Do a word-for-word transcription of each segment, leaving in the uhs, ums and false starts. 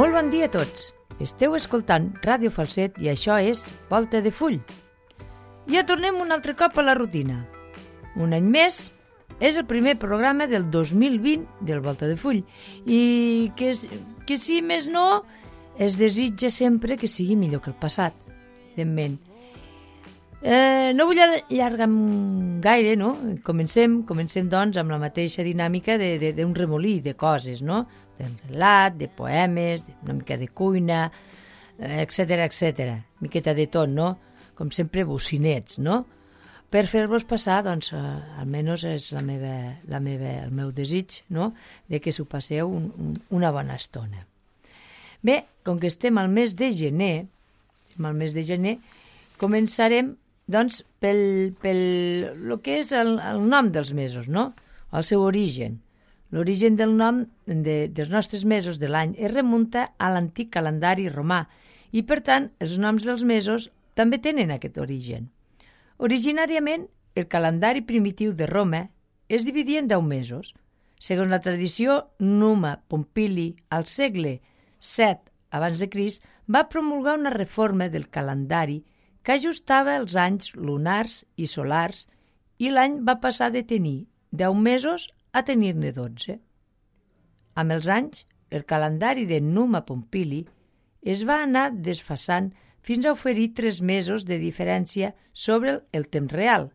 Molt bon dia a tots. Esteu escoltant Ràdio Falset i això és Volta de Full. Ja tornem un altre cop a la rutina. Un any més, és el primer programa del dos mil vint del Volta de Full i que, que si més no, es desitja sempre que sigui millor que el passat, evidentment. Eh, no vull allargar gaire, no? Comencem, comencem doncs amb la mateixa dinàmica d'un remolí de coses, no? De relat, de poemes, una mica de cuina, etcètera, etcètera. Miqueta de tot, no? Com sempre, bocinets, no? Per fer-vos passar, doncs, eh, almenys és la meva, la meva, el meu desig, no? De que s'ho passeu un, un, una bona estona. Bé, com que estem al mes de gener, estem al mes de gener, començarem doncs, pel, pel lo que és el, el nom dels mesos, no? El seu origen. L'origen del nom de, dels nostres mesos de l'any es remunta a l'antic calendari romà i, per tant, els noms dels mesos també tenen aquest origen. Originàriament, el calendari primitiu de Roma es dividia en deu mesos. Segons la tradició, Numa Pompili, al segle set abans de Crist, va promulgar una reforma del calendari que ajustava els anys lunars i solars i l'any va passar de tenir deu mesos a tenir-ne dotze. Amb els anys, el calendari de Numa Pompili es va anar desfasant fins a oferir tres mesos de diferència sobre el, el temps real.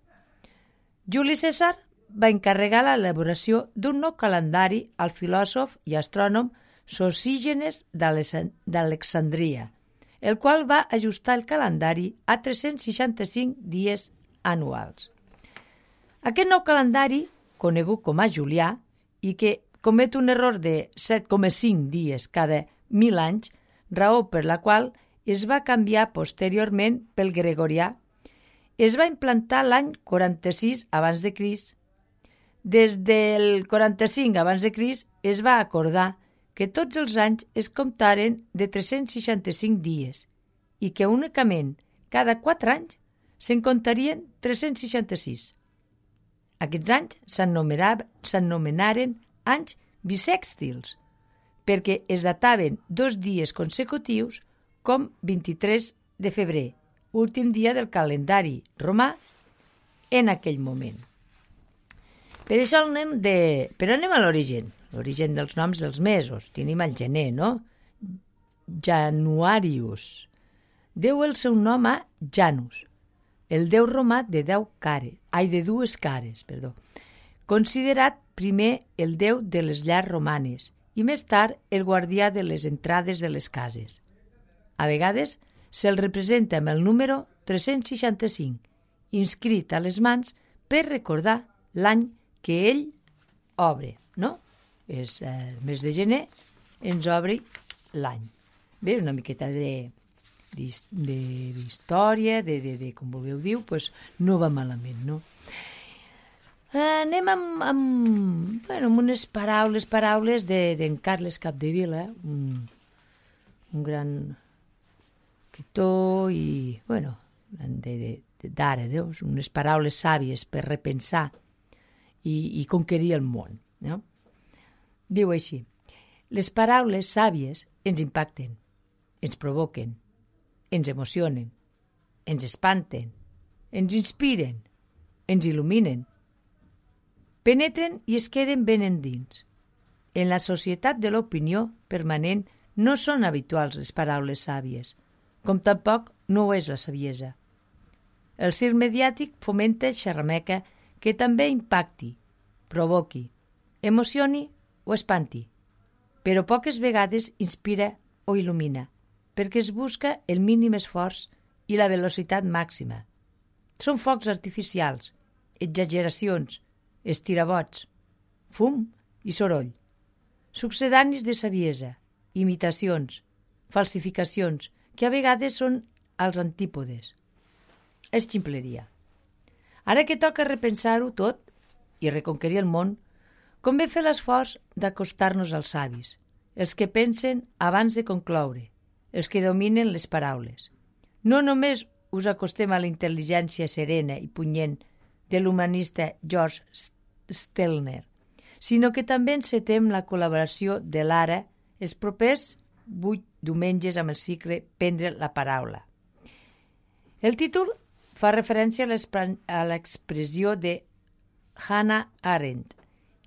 Juli Cèsar va encarregar l'elaboració d'un nou calendari al filòsof i astrònom Sosígenes d'Alexandria, el qual va ajustar el calendari a tres-cents seixanta-cinc dies anuals. Aquest nou calendari, conegut com a Julià, i que comet un error de set coma cinc dies cada mil anys, raó per la qual es va canviar posteriorment pel gregorià, es va implantar l'any quaranta-sis abans de Crist. Des del quaranta-cinc abans de Crist es va acordar que tots els anys es comptaren de tres-cents seixanta-cinc dies i que únicament cada quatre anys se'n comptarien tres-cents seixanta-sis. Aquests anys s'anomenaren anys bisèxtils perquè es dataven dos dies consecutius com vint-i-tres de febrer, últim dia del calendari romà en aquell moment. Per això anem de... Però anem a l'origen. L'origen dels noms dels mesos. Tenim el gener, no? Januarius. Deu el seu nom a Janus, el déu romà de deu cares, ai, de dues cares, perdó, considerat primer el déu de les llars romanes i més tard el guardià de les entrades de les cases. A vegades se'l representa amb el número tres-cents seixanta-cinc, inscrit a les mans per recordar l'any que ell obre, no? És el mes de gener, ens obri l'any. Bé, una miqueta de, de, d'història, de, de, de com vulgueu dir, pues no va malament, no? Anem amb, amb, bueno, amb unes paraules, paraules de, d'en Carles Capdevila, un, un gran escriptor i, bueno, de, de, de, d'ara, no? Unes paraules sàvies per repensar i, i conquerir el món, no? Diu així: les paraules sàvies ens impacten, ens provoquen, ens emocionen, ens espanten, ens inspiren, ens il·luminen, penetren i es queden ben endins. En la societat de l'opinió permanent no són habituals les paraules sàvies, com tampoc no ho és la saviesa. El circ mediàtic fomenta xerrameca que també impacti, provoqui, emocioni o espanti, però poques vegades inspira o il·lumina, perquè es busca el mínim esforç i la velocitat màxima. Són focs artificials, exageracions, estirabots, fum i soroll, succedanis de saviesa, imitacions, falsificacions, que a vegades són als antípodes. És ximpleria. Ara que toca repensar-ho tot i reconquerir el món, convé fer l'esforç d'acostar-nos als savis, els que pensen abans de concloure, els que dominen les paraules. No només us acostem a la intel·ligència serena i punyent de l'humanista George Stelner, sinó que també encetem la col·laboració de l'ara, els propers vuit diumenges amb el cicle Prendre la paraula. El títol fa referència a l'expressió de Hannah Arendt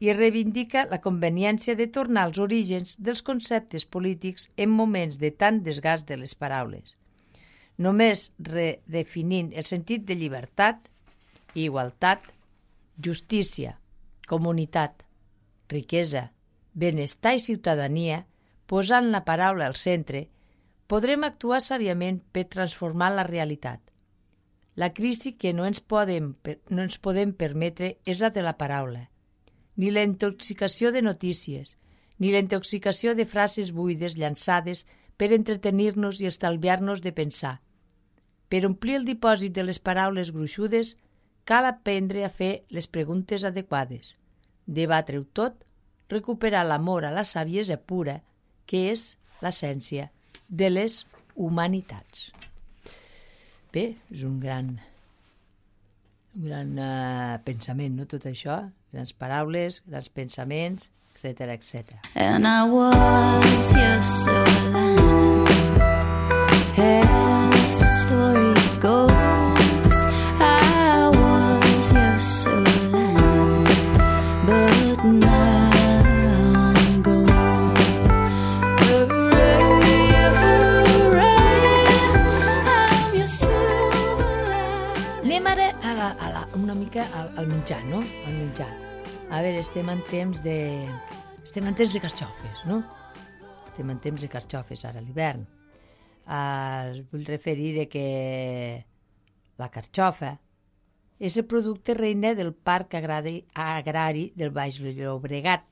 i reivindica la conveniència de tornar als orígens dels conceptes polítics en moments de tant desgast de les paraules, només redefinint el sentit de llibertat, igualtat, justícia, comunitat, riquesa, benestar i ciutadania, posant la paraula al centre, podrem actuar sàviament per transformar la realitat. La crisi que no ens podem, no ens podem permetre és la de la paraula, ni la intoxicació de notícies, ni la intoxicació de frases buides llançades per entretenir-nos i estalviar-nos de pensar. Per omplir el dipòsit de les paraules gruixudes, cal aprendre a fer les preguntes adequades, debatre-ho tot, recuperar l'amor a la saviesa pura, que és l'essència de les humanitats. Bé, és un gran, un gran uh, pensament, no?, tot això, grans paraules, grans pensaments, etcètera, etcètera. And I was your silver lining, as the story goes, I was your silver lining, but now I'm gone. Hooray, hooray, I'm your silver lining. Anem ara a la, a la, una mica al, al menjar, no? Al menjar. A veure, estem en temps de... Estem en temps de carxofes, no? Estem en temps de carxofes ara a l'hivern. Uh, vull referir de que la carxofa és el producte reina del Parc Agrari, Agrari del Baix Llobregat.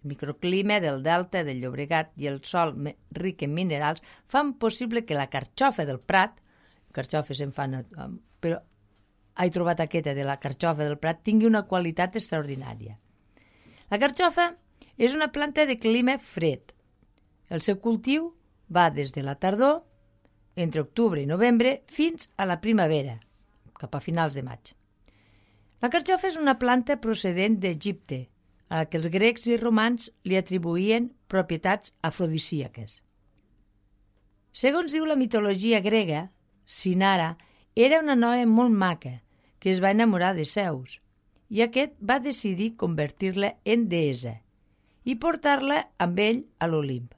El microclima del delta del Llobregat i el sòl ric en minerals fan possible que la carxofa del Prat, carxofes en fan, però he trobat aquesta de la carxofa del Prat, tingui una qualitat extraordinària. La carxofa és una planta de clima fred. El seu cultiu va des de la tardor, entre octubre i novembre, fins a la primavera, cap a finals de maig. La carxofa és una planta procedent d'Egipte, a la que els grecs i romans li atribuïen propietats afrodisíaques. Segons diu la mitologia grega, Sinara era una noia molt maca que es va enamorar de Zeus, i aquest va decidir convertir-la en deessa i portar-la amb ell a l'Olimp.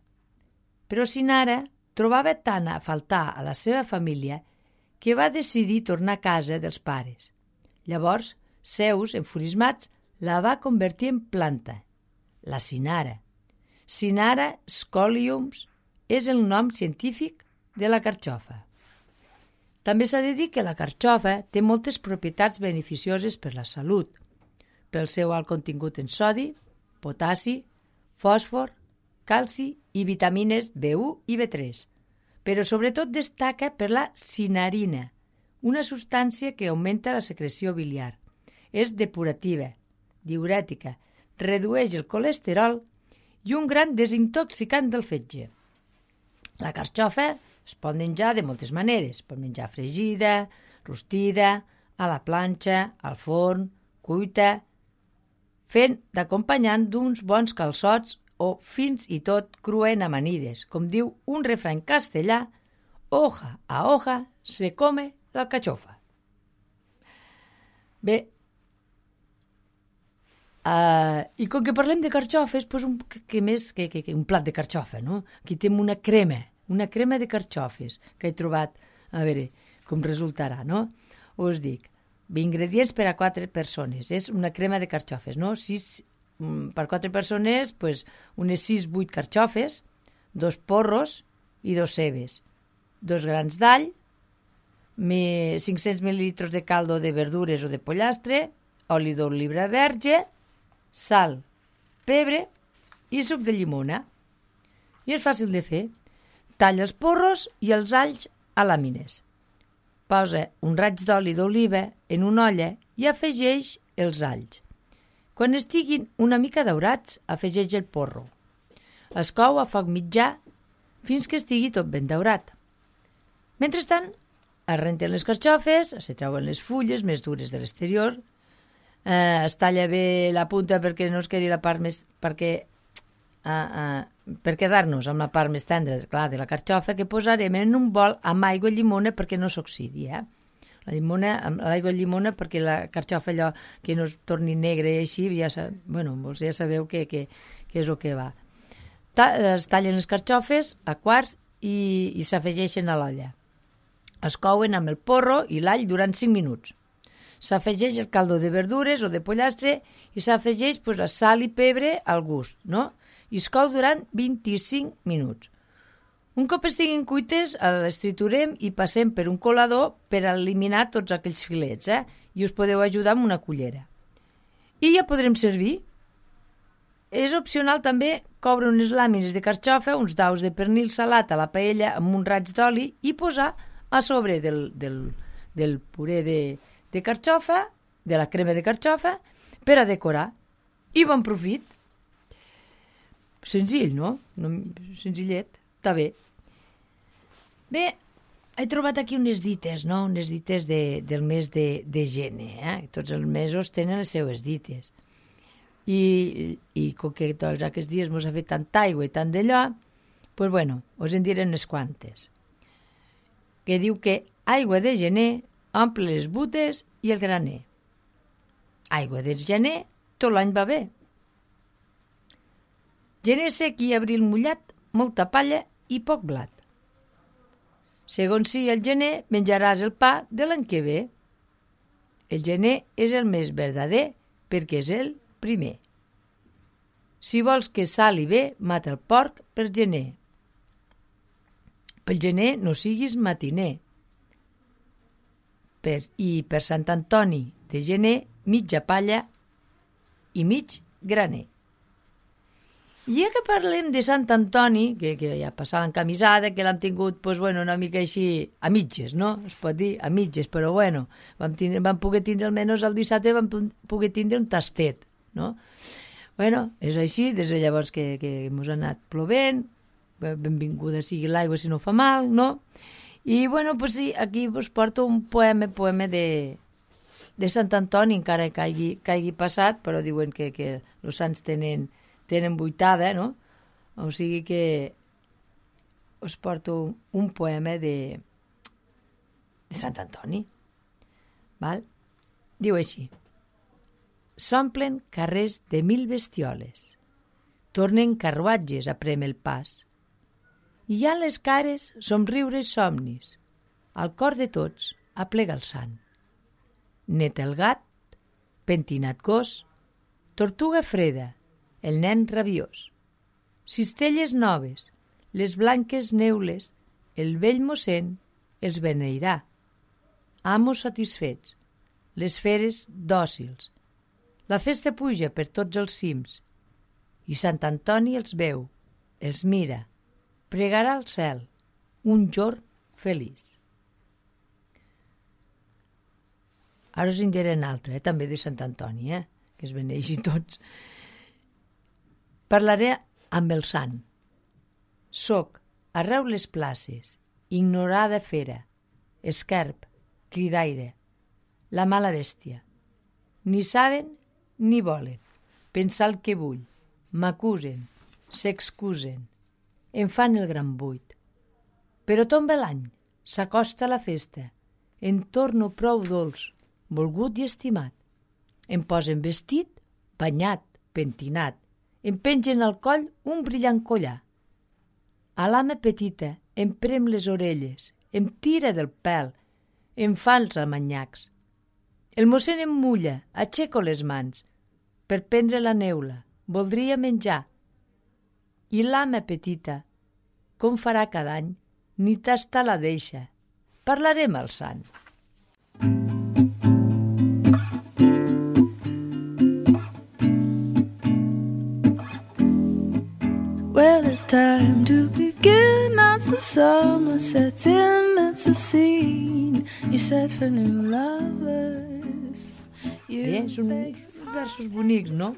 Però Sinara trobava tant a faltar a la seva família que va decidir tornar a casa dels pares. Llavors, Zeus, enfurismat, la va convertir en planta, la Sinara. Sinara scoliums és el nom científic de la carxofa. També s'ha de dir que la carxofa té moltes propietats beneficioses per la salut, pel seu alt contingut en sodi, potassi, fòsfor, calci i vitamines be u i be tres, però sobretot destaca per la sinarina, una substància que augmenta la secreció biliar. És depurativa, diurètica, redueix el colesterol i un gran desintoxicant del fetge. La carxofa es pot menjar de moltes maneres. Pot menjar fregida, rostida, a la planxa, al forn, cuita, fent d'acompanyant d'uns bons calçots o fins i tot cruent amanides. Com diu un refrany castellà, hoja a hoja se come la cachofa. Bé, uh, i com que parlem de carxofes, doncs un, que, que més que, que, que un plat de carxofa, no? Aquí tenim una crema, una crema de carxofes que he trobat, a veure com resultarà, no? Us dic, ingredients per a quatre persones, és una crema de carxofes, no? Sis, per quatre persones, pues, unes sis vuit carxofes, dos porros i dos cebes, dos grans d'all, cinc-cents mil·lilitres de caldo de verdures o de pollastre, oli d'oliva verge, sal, pebre i suc de llimona. I és fàcil de fer. Talla els porros i els alls a làmines. Posa un raig d'oli d'oliva en una olla i afegeix els alls. Quan estiguin una mica daurats, afegeix el porro. Es cou a foc mitjà fins que estigui tot ben daurat. Mentrestant, es renten les carxofes, se treuen les fulles més dures de l'exterior, eh, es talla bé la punta perquè no es quedi la part més... perquè a, a, per quedar-nos amb la part més tendra, clar, de la carxofa, que posarem en un bol amb aigua i llimona perquè no s'oxidi, eh? La llimona, amb l'aigua i llimona perquè la carxofa allò que no es torni negre i així, ja, sa, bueno, ja sabeu què que, que és el que va. Ta, es tallen les carxofes a quarts i, i s'afegeixen a l'olla. Es couen amb el porro i l'all durant cinc minuts. S'afegeix el caldo de verdures o de pollastre i s'afegeix pues, la sal i pebre al gust, no? I es cou durant vint-i-cinc minuts. Un cop estiguin cuites, les triturem i passem per un colador per eliminar tots aquells filets, eh? I us podeu ajudar amb una cullera. I ja podrem servir. És opcional també coure unes làmines de carxofa, uns daus de pernil salat a la paella amb un raig d'oli i posar a sobre del, del, del puré de, de carxofa, de la crema de carxofa, per a decorar. I bon profit. Senzill, no? no senzillet. Està bé. Bé, he trobat aquí unes dites, no? Unes dites de, del mes de, de gener, eh? Tots els mesos tenen les seues dites. I, i com que tots aquests dies mos ha fet tanta aigua i tant d'allò, doncs, pues bueno, us en diré unes quantes. Que diu que aigua de gener omple les butes i el graner. Aigua de gener tot l'any va bé. Gener sec i abril mullat, molta palla i poc blat. Segons si el gener, menjaràs el pa de l'any que ve. El gener és el més verdader perquè és el primer. Si vols que sali bé, mata el porc per gener. Pel gener no siguis matiner. Per, I per Sant Antoni de gener, mitja palla i mig graner. I ja que parlem de Sant Antoni, que, que ja passava en camisada, que l'hem tingut pues, bueno, una mica així a mitges, no? Es pot dir a mitges, però bueno, vam, tindre, vam poder tindre almenys el dissabte, vam poder tindre un tastet, no? Bueno, és així, des de llavors que, que ens ha anat plovent, benvinguda sigui l'aigua si no fa mal, no? I bueno, pues sí, aquí us porto un poema, poema de, de Sant Antoni, encara que hagi, que hagi passat, però diuen que, que els sants tenen tenen vuitada, no? O sigui que us porto un poema de, de Sant Antoni. Val? Diu així. S'omplen carrers de mil bestioles, tornen carruatges a prémer el pas, i ja les cares somriures somnis, al cor de tots aplega el sant. Net el gat, pentinat gos, tortuga freda, el nen rabiós. Cistelles noves, les blanques neules, el vell mossèn els beneirà. Amos satisfets, les feres dòcils. La festa puja per tots els cims, i Sant Antoni els veu, els mira, pregarà al cel, un jorn feliç. Ara us en diré un altre, eh, també de Sant Antoni, eh, que es beneixin tots. Parlaré amb el sant. Soc, arreu les places, ignorada fera, esquerp, cridaire, la mala bèstia. Ni saben ni volen pensar el que vull, m'acusen, s'excusen, em fan el gran buit. Però tomba l'any, s'acosta la festa, en torno prou dolç, volgut i estimat. Em posen vestit, banyat, pentinat, em pengen al coll un brillant collar. A l'ama petita em prem les orelles, em tira del pèl, em fa els amanyacs. El mossèn em mulla, aixeco les mans, per prendre la neula, voldria menjar. I l'ama petita, com farà cada any, ni tasta la deixa. Parlarem al sant. Well, it's time to begin as the summer sets in. It's a scene you set for new lovers. Bé, són versos bonics, no?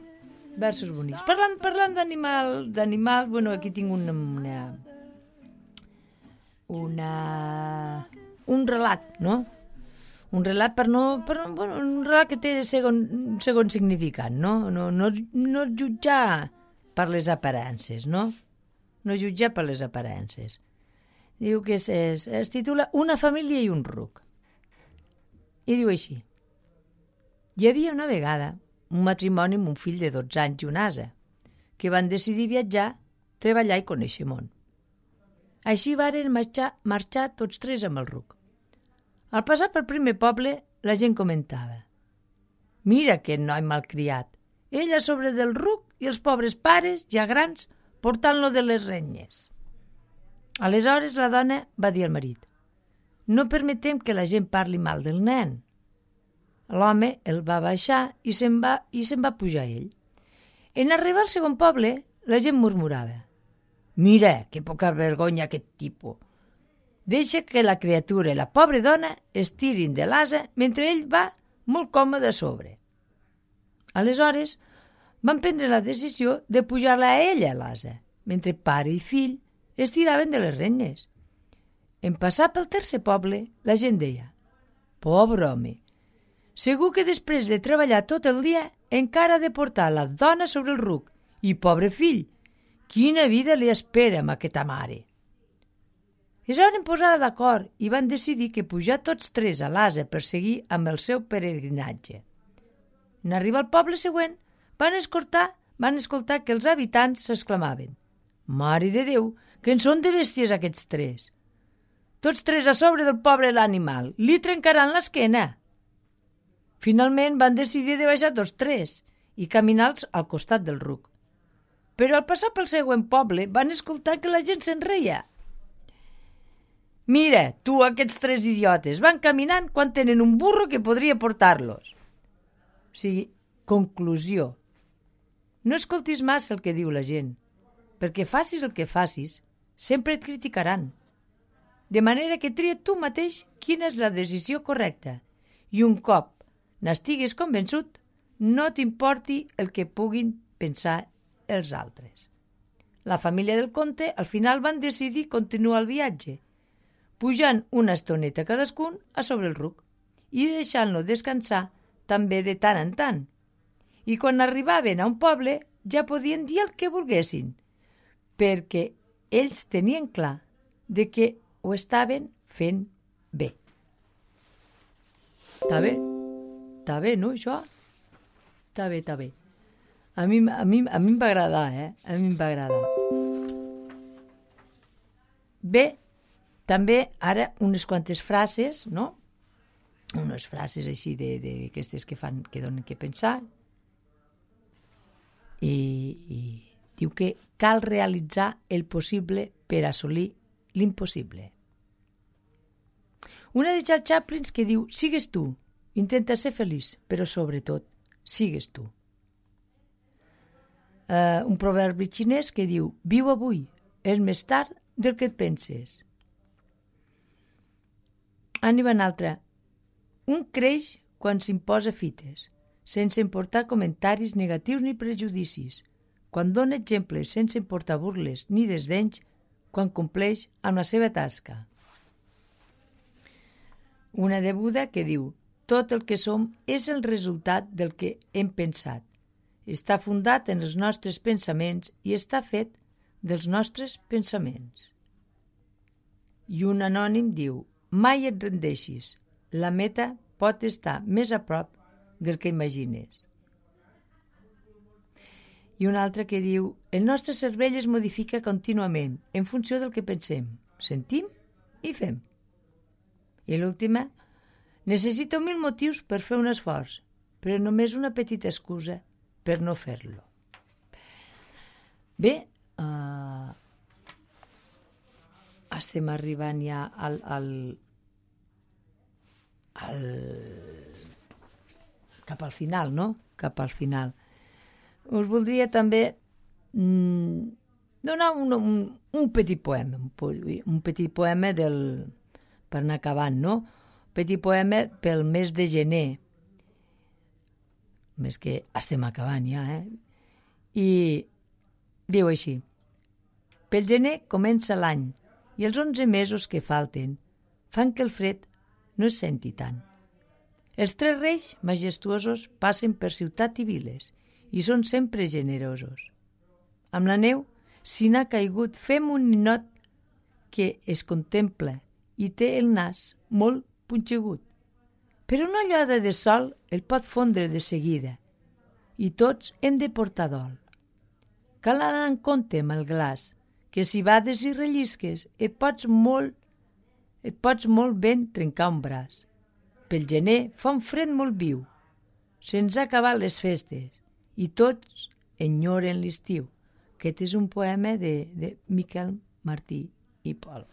Versos bonics. Parlant, parlant d'animal, d'animal, bueno, aquí tinc una, una, una, un relat, no? Un relat per no, per, bueno, un relat que té segon, segon significat, no? No, no, no jutjar per les aparences, no? No jutjar per les aparences. Diu que es, es, es titula Una família i un ruc. I diu així. Hi havia una vegada un matrimoni amb un fill de dotze anys i un ase, que van decidir viatjar, treballar i conèixer món. Així varen marxar, marxar tots tres amb el ruc. Al passar pel primer poble, la gent comentava: «Mira aquest noi malcriat, ell a sobre del ruc i els pobres pares, ja grans, portant-lo de les renyes». Aleshores la dona va dir al marit: «No permetem que la gent parli mal del nen». L'home el va baixar i se'n va, i se'n va pujar ell. En arribar al segon poble, la gent murmurava: «Mira, que poca vergonya aquest tipus. Deixa que la criatura i la pobra dona es tirin de l'ase mentre ell va molt còmode a sobre». Aleshores van prendre la decisió de pujar-la a ella a l'ase, mentre pare i fill es tiraven de les renyes. En passar pel tercer poble, la gent deia: «Pobre home, segur que després de treballar tot el dia encara ha de portar la dona sobre el ruc, i pobre fill, quina vida li espera amb aquesta mare». Es van posar d'acord i van decidir que pujar tots tres a l'ase per seguir amb el seu peregrinatge. En arribar al poble següent, van escoltar, van escoltar que els habitants s'exclamaven: «Mare de Déu, que en són de bèsties aquests tres! Tots tres a sobre del pobre l'animal, li trencaran l'esquena». Finalment van decidir de baixar tots tres i caminar-los al costat del ruc. Però al passar pel següent poble van escoltar que la gent se'n reia. «Mira, tu, aquests tres idiotes, van caminant quan tenen un burro que podria portar-los». O sigui, conclusió. No escoltis massa el que diu la gent, perquè facis el que facis, sempre et criticaran. De manera que tria tu mateix quina és la decisió correcta i un cop n'estiguis convençut, no t'importi el que puguin pensar els altres. La família del conte al final van decidir continuar el viatge, pujant una estoneta cadascun a sobre el ruc i deixant-lo descansar també de tant en tant. I quan arribaven a un poble ja podien dir el que volguessin, perquè ells tenien clar de que ho estaven fent bé. Està bé? Està bé, no, això? Està bé, està bé. A mi, a mi, a mi em va agradar, eh? A mi em va agradar. Bé, també ara unes quantes frases, no? Unes frases així d'aquestes que fan, que donen que pensar. I, i diu que cal realitzar el possible per assolir l'impossible. Una de Charles Chaplin que diu: «Sigues tu, intenta ser feliç, però sobretot, sigues tu». Uh, un proverbi xinès que diu: «Viu avui, és més tard del que et penses». Anem a una altra. Un creix quan s'imposa fites, sense importar comentaris negatius ni prejudicis, quan dona exemples sense importar burles ni desdenys, quan compleix amb la seva tasca. Una de Buda que diu: «Tot el que som és el resultat del que hem pensat. Està fundat en els nostres pensaments i està fet dels nostres pensaments». I un anònim diu: «Mai et rendeixis, la meta pot estar més a prop del que imagines». I un altre que diu: «El nostre cervell es modifica contínuament en funció del que pensem, sentim i fem». I l'última: «Necessito mil motius per fer un esforç, però només una petita excusa per no fer-lo». Bé, uh, estem arribant ja al, al, al, cap al final, no? Cap al final. Us voldria també mm, donar un, un, un petit poema, un, un petit poema del, per anar acabant, no? Un petit poema pel mes de gener, més que estem acabant ja, eh? I diu així: «Pel gener comença l'any i els onze mesos que falten fan que el fred no es senti tant. Els tres reis majestuosos passen per ciutat i viles i són sempre generosos. amb la neu, si n'ha caigut, fem un ninot que es contempla i té el nas molt punxegut. Però una ullada de sol el pot fondre de seguida i tots hem de portar dol. Cal anar en compte amb el glaç, que si bades i rellisques et pots molt, et pots molt ben trencar un braç. Pel gener fa un fred molt viu. Se'ns ha acabat les festes i tots enyoren l'estiu. Aquest és un poema de, de Miquel Martí i Pol.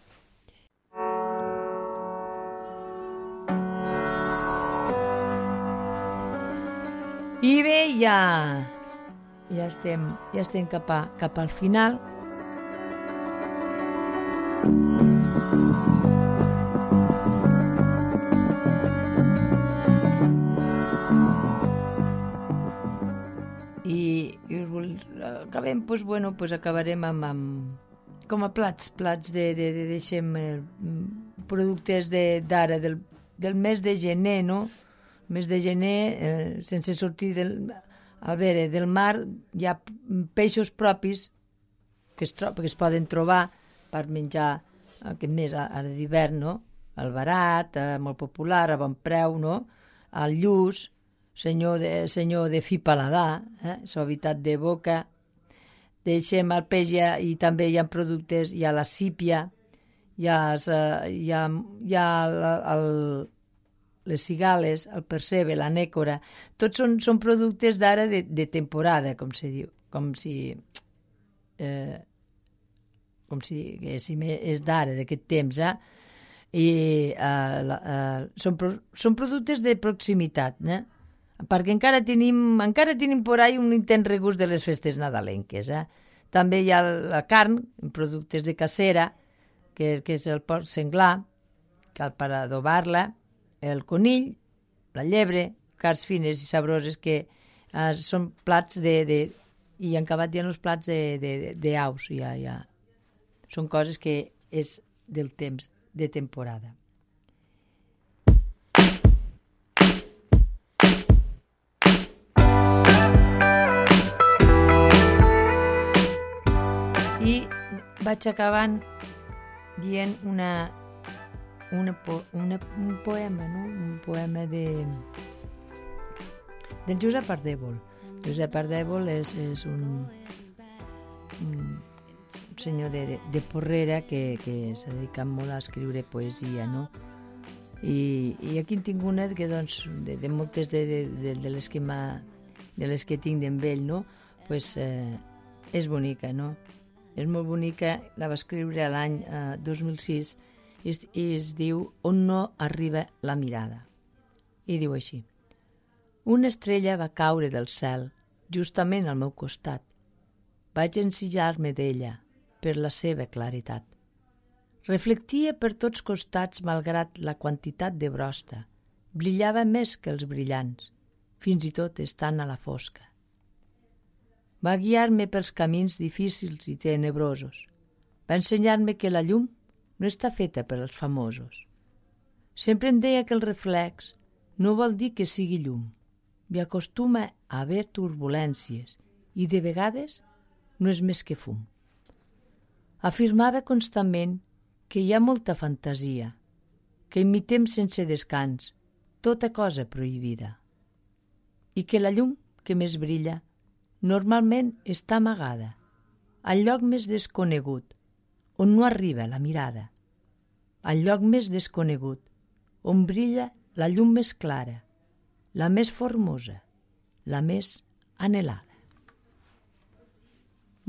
I bé, ja, ja estem, ja estem cap, a, cap al final. I, i acabem, doncs, bueno, doncs acabarem amb, amb com a plats, plats de, de, de deixem eh, productes de, d'ara, del, del mes de gener, no? Mes de gener, eh, sense sortir del, a veure, del mar, hi ha peixos propis que es, tro- que es poden trobar per menjar aquest mes ara d'hivern, no? El barat, eh, molt popular, a bon preu, no? El lluç, senyor de, senyor de fi paladar, eh? Suavitat de boca. Deixem el peix i, i també hi ha productes, hi ha la sípia, hi ha, eh, hi ha, hi ha el, el les cigales, el percebe, la nècora, tots són, són productes d'ara de, de temporada, com se diu, com si eh, com si diguéssim, és d'ara, d'aquest temps, eh? I eh, la, eh, són, són productes de proximitat, eh? Perquè encara tenim, encara tenim por ahí un intent regust de les festes nadalenques, eh? També hi ha la carn, productes de cacera, que, que és el porc senglar, cal per adobar-la, el conill, la llebre, carns fines i sabroses que eh, són plats de, de... i han acabat ja els plats d'aus, ja, ja. Són coses que és del temps, de temporada. I vaig acabant dient una Una, una, un poema, no? Un poema de del Josep Ardèvol. Josep Ardèvol és, és un, un senyor de, de Porrera que, que s'ha dedicat molt a escriure poesia, no? I, i aquí en tinc una que, doncs, de, de moltes de, de, de, de les que m'ha, de les que tinc d'en ell, no? Pues, eh, és bonica, no? És molt bonica, la va escriure l'any eh, dos mil sis i es, i es diu On no arriba la mirada. I diu així: una estrella va caure del cel justament al meu costat. Vaig ensillar-me d'ella per la seva claritat. Reflectia per tots costats malgrat la quantitat de brosta. Brillava més que els brillants, fins i tot estant a la fosca. Va guiar-me pels camins difícils i tenebrosos. Va ensenyar-me que la llum no està feta per als famosos. Sempre em deia que el reflex no vol dir que sigui llum. M'hi acostuma a haver turbulències i de vegades no és més que fum. Afirmava constantment que hi ha molta fantasia, que imitem sense descans tota cosa prohibida i que la llum que més brilla normalment està amagada al lloc més desconegut on no arriba la mirada, al lloc més desconegut, on brilla la llum més clara, la més formosa, la més anhelada.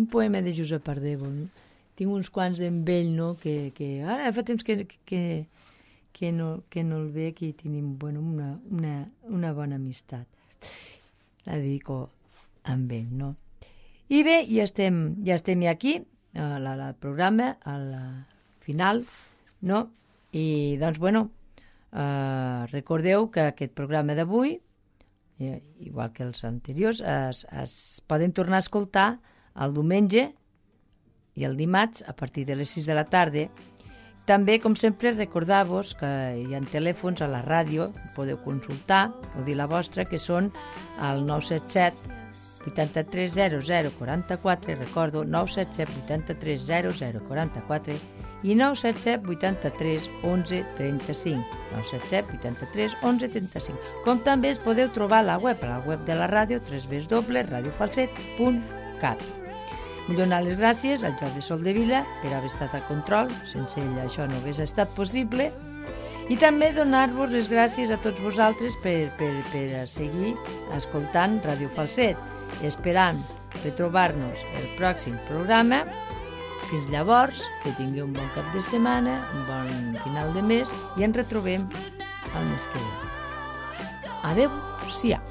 Un poema de Josep Ardèvol. No? Tinc uns quants d'en vell, no? que, que ara fa temps que, que, que, no, que no el veig i tenim bueno, una, una, una bona amistat. La dedico amb ell, no? I bé, ja estem, ja estem aquí, al programa, al final, no? I, doncs, bueno, eh, recordeu que aquest programa d'avui, eh, igual que els anteriors, es, es poden tornar a escoltar el diumenge i el dimarts a partir de les sis de la tarda També, com sempre, recordar-vos que hi ha telèfons a la ràdio, podeu consultar o dir la vostra, que són al nou set set vuitanta-tres zero zero quaranta-quatre, recordo, nou set set vuitanta-tres zero zero quaranta-quatre i nou set set vuitanta-tres onze trenta-cinc, nou set set vuitanta-tres onze trenta-cinc. Com també es podeu trobar a la web, a la web de la ràdio, w w w punt radio falset punt cat. Vull donar les gràcies al Jordi Soldevila per haver estat al control, sense ell això no hagués estat possible, i també donar-vos les gràcies a tots vosaltres per, per, per seguir escoltant Ràdio Falset, esperant retrobar-nos el pròxim programa. Fins llavors, que tingui un bon cap de setmana, un bon final de mes i ens retrobem el mes que ve. Adéu-siau.